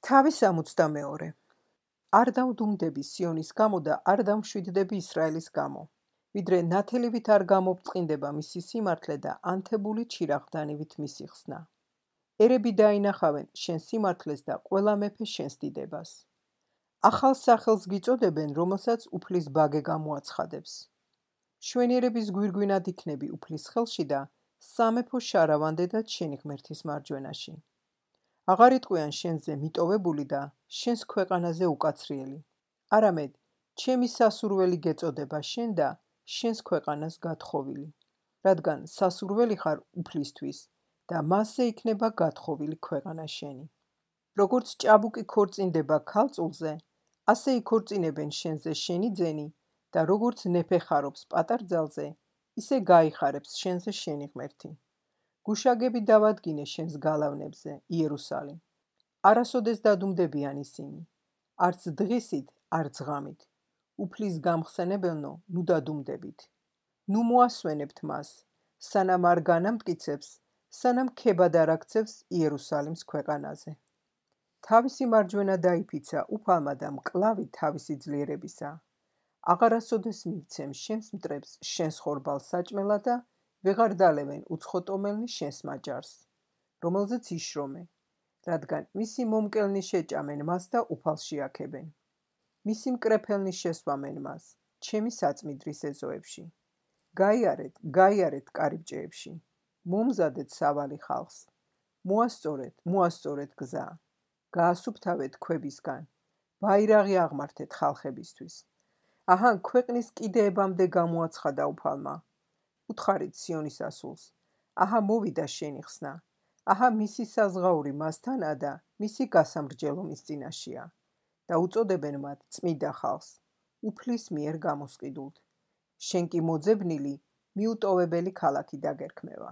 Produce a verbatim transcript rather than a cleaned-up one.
თავის სამოცდამეორე. არ დავდუმდები სიონის გამო და არ დამშვიდდები ისრაელის გამო, ვიდრე ნათელივით არ გამობწყინდება მისი სიმართლე და ანთებული ჩირაღდანივით მისი ხსნა. ერები დაინახავენ შენ სიმართლეს და ყველა მეფე შენს დიდებას. ახალ სახელს გიწოდებენ, რომელსაც უფლის ბაგე გამოაცხადებს. შვენიერების გვირგვინად იქნები უფლის ხელში და სამეფო შარავანდედად შენი ღმერთის მარჯვენაში. აღარ იტყვიან შენზე მიტოვებული და შენს ქვეყანაზე უკაცრიელი. არამედ, ჩემი სასურველი გეწოდება შენ და შენს ქვეყანას გათხოვილი, რადგან სასურველი ხარ უფლისთვის და მასზე იქნება გათხოვილი ქვეყანა შენი. როგორც ჭაბუკი ქორწინდება ქალწულზე, ასე იქორწინებენ შენზე შენი ძენი და როგორც ნეფე ხარობს პატარძალზე, ისე გაიხარებს შენზე შენი ღმერთი. გუშაგები დავადგინე შენს გალავნებზე, იერუსალიმ. არასოდეს დადუმდებიან ისინი, არც დღისით, არც ღამით. უფლის გამხსენებელნო, ნუ დადუმდებით. ნუ მოასვენებთ მას, სანამ არ განამტკიცებს, სანამ ქებად არ აქცევს იერუსალიმს ქვეყანაზე. თავისი მარჯვენა დაიფიცა უფალმა და მკლავი თავისი ძლიერებისა. აღარასოდეს მივცემ შენს მტრებს შენს ხორბალს საჭმელად და ვეღარ დალევენ უცხოტომელნი შენს მაჯარს, რომელზეც იშრომე, რადგან მისი მომკელნი შეჭამენ მას და უფალს შეაქებენ. მისი მკრეფელნი შესვამენ მას, ჩემი საწმიდრის ეზოებში. გაიარეთ, გაიარეთ კარიბჭეებში, მომზადეთ სავალი ხალხს. მოასწორეთ, მოასწორეთ გზა. გაასუფთავეთ ქვებისგან, ბაირაღი აღმართეთ ხალხებისთვის. აჰა, ქვეყნის კიდეებამდე გამოაცხადა უფალმა. უთხარით სიონის ასულს, აჰა მოვიდა შენი ხსნა, აჰა მისი საზღაური მასთანაა და მისი გასამრჯელო მის წინაშეა და უწოდებენ მათ წმიდა ხალხს, უფლის მიერ გამოსყიდულთ. შენ კი მოძებნილი, მიუტოვებელი ქალაქი დაგერქმევა.